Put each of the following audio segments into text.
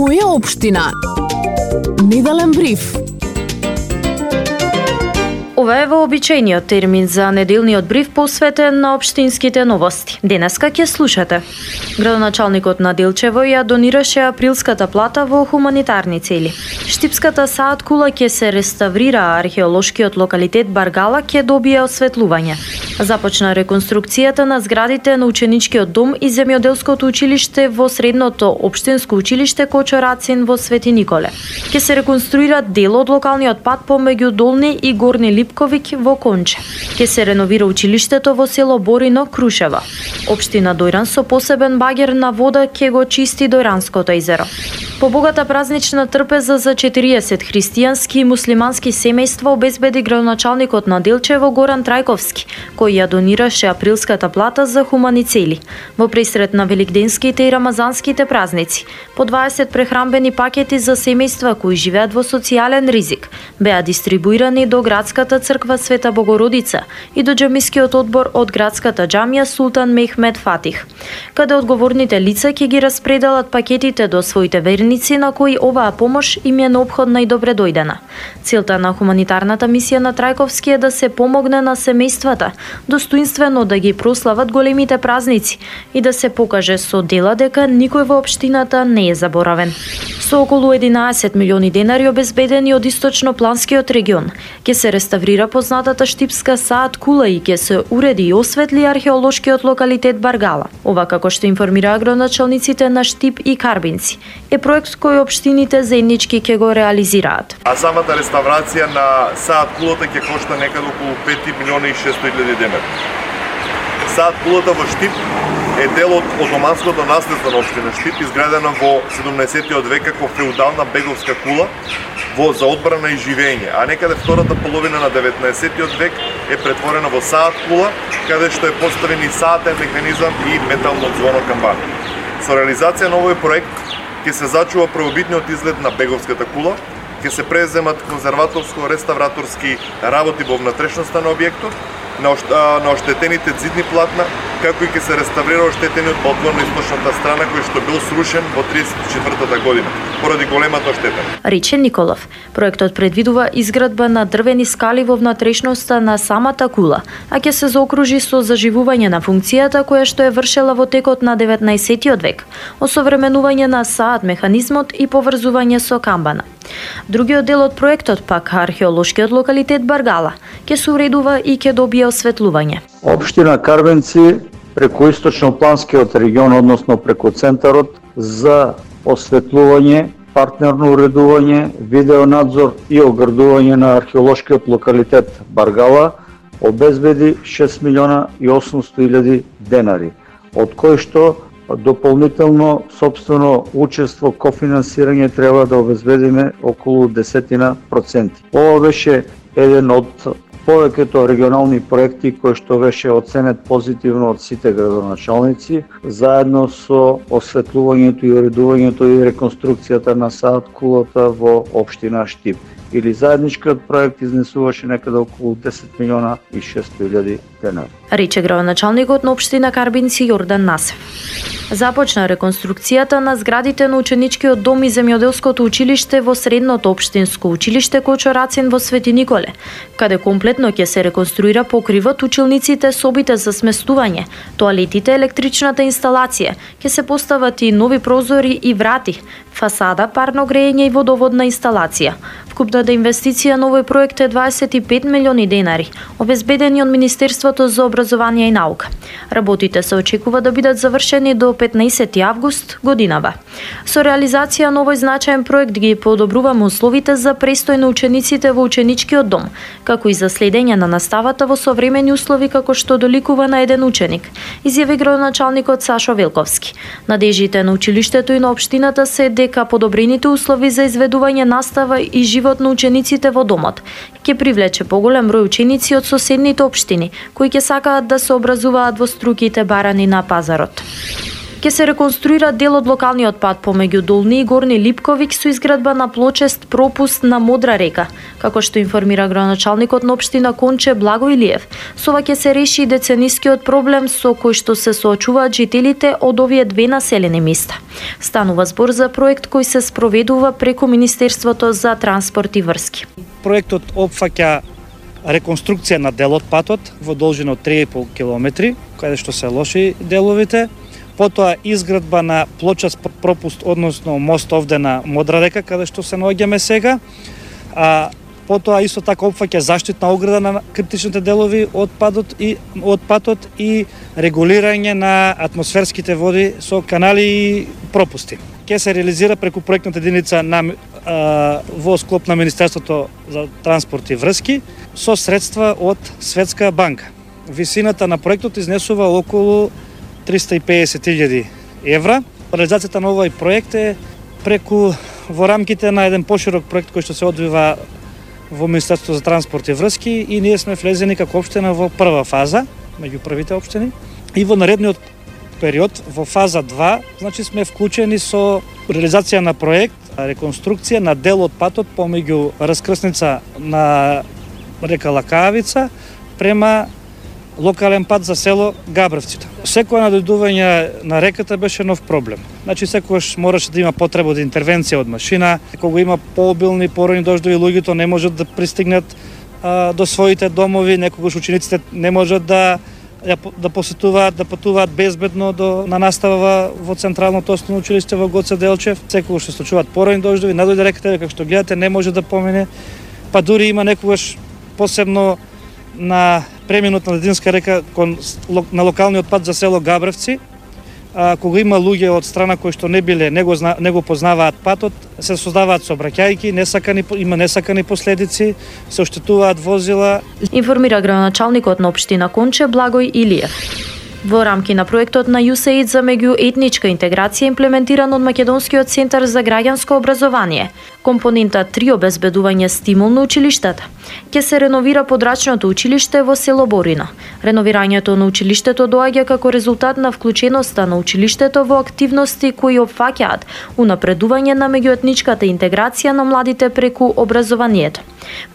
Моја општина. Неделен бриф. Ова е вообичаениот термин за неделниот бриф посветен на општинските новости. Денеска ќе слушате. Градоначалникот на Делчево ја донираше априлската плата во хуманитарни цели. Штипската Саат кула ќе се реставрира, а археолошкиот локалитет Баргала ќе добие осветлување. Започна реконструкцијата на зградите на ученичкиот дом и земјоделското училиште во средното општинско училиште Кочо Рацин во Свети Николе. Ќе се реконструира дел од локалниот пат помеѓу Долни и Горни Липковик во Конче. Ќе се реновира училиштето во село Борино, Крушева. Општина Дојран со посебен багер на вода ќе го чисти Дојранското езеро. Побогата празнична трпеза за 40 христијански и муслимански семејства обезбеди градоначалникот на Делчево Горан Трајковски, кој ја донираше априлската плата за хумани цели. Во пресрет на великденските и рамазанските празници, по 20 прехранбени пакети за семејства кои живеат во социјален ризик беа дистрибуирани до градската црква Света Богородица и до џамискиот одбор од градската џамија Султан Мехмед Фатих, каде одговорните лица ќе ги распределат пакетите до своите верници на кои оваа помош им е неопходна и добре дојдена. Целта на хуманитарната мисија на Трајковски е да се помогне на семејствата достоинствено да ги прослават големите празници и да се покаже со дела дека никој во општината не е заборавен. Со околу 11 милиони денари обезбедени од источно-планскиот регион, ќе се реставрира познатата штипска Саат кула и ќе се уреди и осветли археолошкиот локалитет Баргала. Ова, како што информираа градоначалниците на Штип и Карбинци, е проект кој општините заеднички ќе го реализираат. А самата реставрација на Саат кулата ќе кошта некаде околу 5 милиона и 600 илјади денари. Саат кулата во Штип е дел од отоманското наследство на општина Штип, изградена во 17-тиот век како феудална беговска кула за одбрана и живење, а некаде втората половина на 19-тиот век е претворена во Саат кула, каде што е поставен и саатен механизам и метално ѕвоно камбана. Со реализација на овој проект ќе се зачува првобитниот изглед на беговската кула, ќе се преземат конзерваторско-реставраторски работи во внатрешноста на објектот, на оштетените ѕидни платна, како и ќе се реставрира оштетениот балкон на источната страна кој што бил срушен во 34-та година поради големата оштета. Рече Николов, проектот предвидува изградба на дрвени скали во внатрешноста на самата кула, а ќе се заокружи со заживување на функцијата која што е вршела во текот на 19-тиот век, осовременување на Саат механизмот и поврзување со камбана. Другиот дел од проектот, пак археолошкиот локалитет Баргала, ќе се уредува и ќе добие осветлување. Општина Карбенци преку источно-планскиот регион, односно преку центарот, за осветлување, партнерно уредување, видеонадзор и оградување на археолошкиот локалитет Баргала обезбеди 6 милиона и 800 илјади денари, од кои што дополнително собствено учество кофинансирање треба да обезбедиме околу 10%. Ова беше еден од повеќето регионални проекти кои што беше оценет позитивно од сите градоначалници, заедно со осветлувањето и уредувањето и реконструкцијата на Саат кулата во општина Штип. Или заедничкиот проект изнесуваше некаде околу 10 милиона и 600 илјади денари. Рече градоначалникот на општина Карбинци Јордан Насев. Започна реконструкцијата на зградите на ученичкиот дом и земјоделското училиште во средното општинско училиште Кочо Рацин во Свети Николе, каде комплетно ќе се реконструира покривот, училниците, собите за сместување, тоалетите, електричната инсталација, ќе се постават и нови прозори и врати, фасада, парно грејење и водоводна инсталација. Вкупната инвестиција на овој проект е 25 милиони денари, обезбедени од Министерството за образование и наука. Работите се очекува да бидат завршени до 15 август годинава. Со реализација на овој значаен проект ги подобруваме условите за престој на учениците во ученичкиот дом, како и за следење на наставата во современи услови како што доликува на еден ученик, изјави градоначалникот Сашо Велковски. Надежите на училиштето и на општината се дека подобрените услови за изведување настава и живот на учениците во домот ќе привлече поголем број ученици од соседните општини кои ќе сакаат да се образуваат во струките барани на пазарот. Ке се реконструира дел од локалниот пат помеѓу Долни и Горни Липковик со изградба на плочест пропуст на Модра река, како што информира градоначалникот на општина Конче Благо Илиев. Со ова ќе се реши деценискиот проблем со кој што се соочуваат жителите од овие две населени места. Станува збор за проект кој се спроведува преку Министерството за транспорт и врски. Проектот опфаќа реконструкција на дел од патот во должина од 3,5 км, каде што се лоши деловите, потоа изградба на плочаст пропуст, односно мост овде на Модра река, каде што се наоѓаме сега, потоа исто така опфаќа заштитна ограда на криптичните делови од патот и регулирање на атмосферските води со канали и пропусти. Ке се реализира преку проектната единица во склоп на Министерството за транспорт и врски со средства од Светска банка. Висината на проектот изнесува околу 350.000 евра. Реализацијата на овој проект е преку во рамките на еден поширок проект кој што се одвива во Министерството за транспорт и врски и ние сме влезени како општина во прва фаза, меѓу првите општини. И во наредниот период, во фаза 2, значи сме вклучени со реализација на проект, реконструкција на дел од патот помеѓу раскрсница на река Лакавица према локален пат за село Габревците. Секоја надојдување на реката беше нов проблем. Значи секогаш мораше да има потреба од интервенција од машина, кога има пообилни поройни дождови, луѓето не можат да пристигнат до своите домови, некогаш учениците не можат да посетуваат, да патуваат безбедно на настава во Централното основно училиште во Гоце Делчев. Секогаш се случуваат поройни дождови, надојде реката, како што гледате, не може да помине. Па дури има некогаш посебно на преминот на Дединска река на локалниот пат за село Габревци, кога има луѓе од страна кои што не го познаваат патот, се создаваат сообраќајки, има несакани последици, се оштетуваат возила. Информира градоначалникот на општина Конче Благој Илиев. Во рамки на проектот на USAID за меѓуетничка интеграција имплементиран од Македонскиот центар за граѓанско образование, компонента 3 обезбедување стимул на училиштата, ќе се реновира подрачното училиште во село Борина. Реновирањето на училиштето доаѓа како резултат на вклученоста на училиштето во активности кои опфаќаат унапредување на меѓуетничката интеграција на младите преку образованието.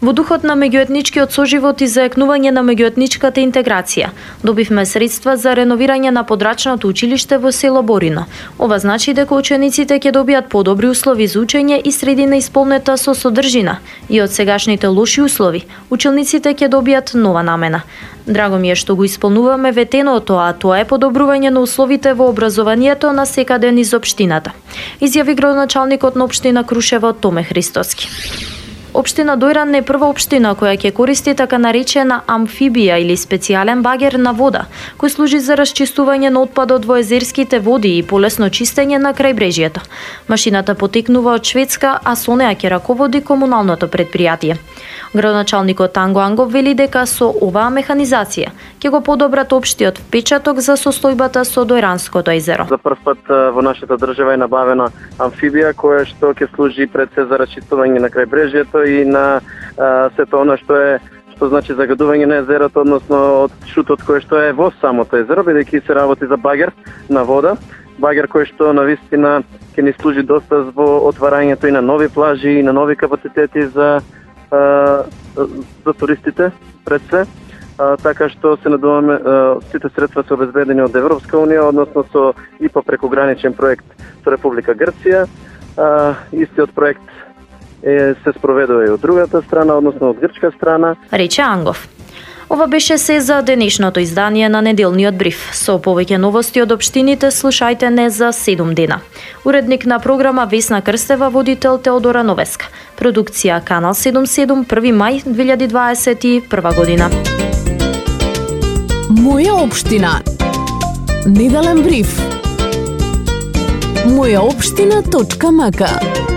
Во духот на меѓуетничкиот соживот и зајакнување на меѓуетничката интеграција, добивме средства за реновирање на подрачното училиште во село Борина. Ова значи дека учениците ќе добијат подобри услови за учење и средина исполнета со содржина, и од сегашните лоши услови, учениците ќе добијат нова намена. Драго ми е што го исполнуваме ветеното, а тоа е подобрување на условите во образованието на секаде низ општината, изјави градоначалникот на општина Крушево Томе Христоски. Општина Дојран е прва општина која ќе користи така наречена амфибија или специјален багер на вода, кој служи за расчистување на отпадот во езерските води и полесно чистење на крајбрежјето. Машината потекнува од Шведска, а со неа ќе раководи комуналното предпријатие. Градоначалникот Танго Ангов вели дека со оваа механизација ќе го подобрат општиот впечаток за состојбата со Дојранското езеро. За прв пат во нашата држава е набавена амфибија која што ќе служи пред се за расчистување на крајбрежјето и на сето она што значи загадување на езерото, односно од шутот кој што е во самото езеро, бидејќи се работи за багер на вода. Багер кој што навистина ќе ни служи доста во отварањето и на нови плажи и на нови капацитети за туристите пред се. Така што се надуваме, сите средства се обезбедени од Европска унија, односно со ИПА прекограничен проект со Република Грција. Истиот проект се спроведува и од другата страна, односно од грчка страна. Рече Ангов. Ова беше се за денешното издание на неделниот бриф. Со повеќе новости од општините слушајте не за 7 дена. Уредник на програма Весна Крстева, водител Теодора Новеска. Продукција Канал 77, 1 мај 2021 година. Моја општина. Неделен бриф. Мојаопштина.мк